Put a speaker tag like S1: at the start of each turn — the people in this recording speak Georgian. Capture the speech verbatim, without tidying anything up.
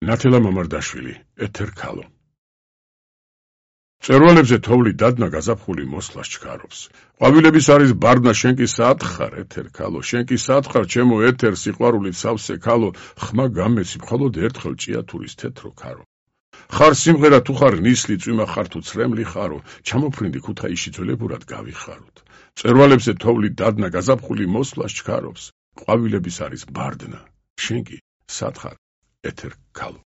S1: ნათელა მამარდაშვილი, ეთერ ქალო. მწვერვალებზე თოვლი დადნა გაზაფხული მოსლას ჩქარობს. ყვავილების არის ბარდნა შენ კი საათხარ, ეთერ ქალო, შენ კი საათხარ, ჩემო ეთერ სიყვარულით სავსე ქალო, ხმა გამეცი მხოლოდ ერთხელ ჭიათურის თეთრო ქარო. ხარ სიმღერა თუ ხარ ნისლი წვიმა ხარ თუ ცრემლი ხარო, ჩამოფრინდი ქუთაისში ძველებურად გავიხაროთ. მწვერვალებზე თოვლი დადნა გაზაფხული მოსლას ჩქარობს. ყვავილების არის ბარდნა, შენ კი სათხარ, ეთერ ქალო.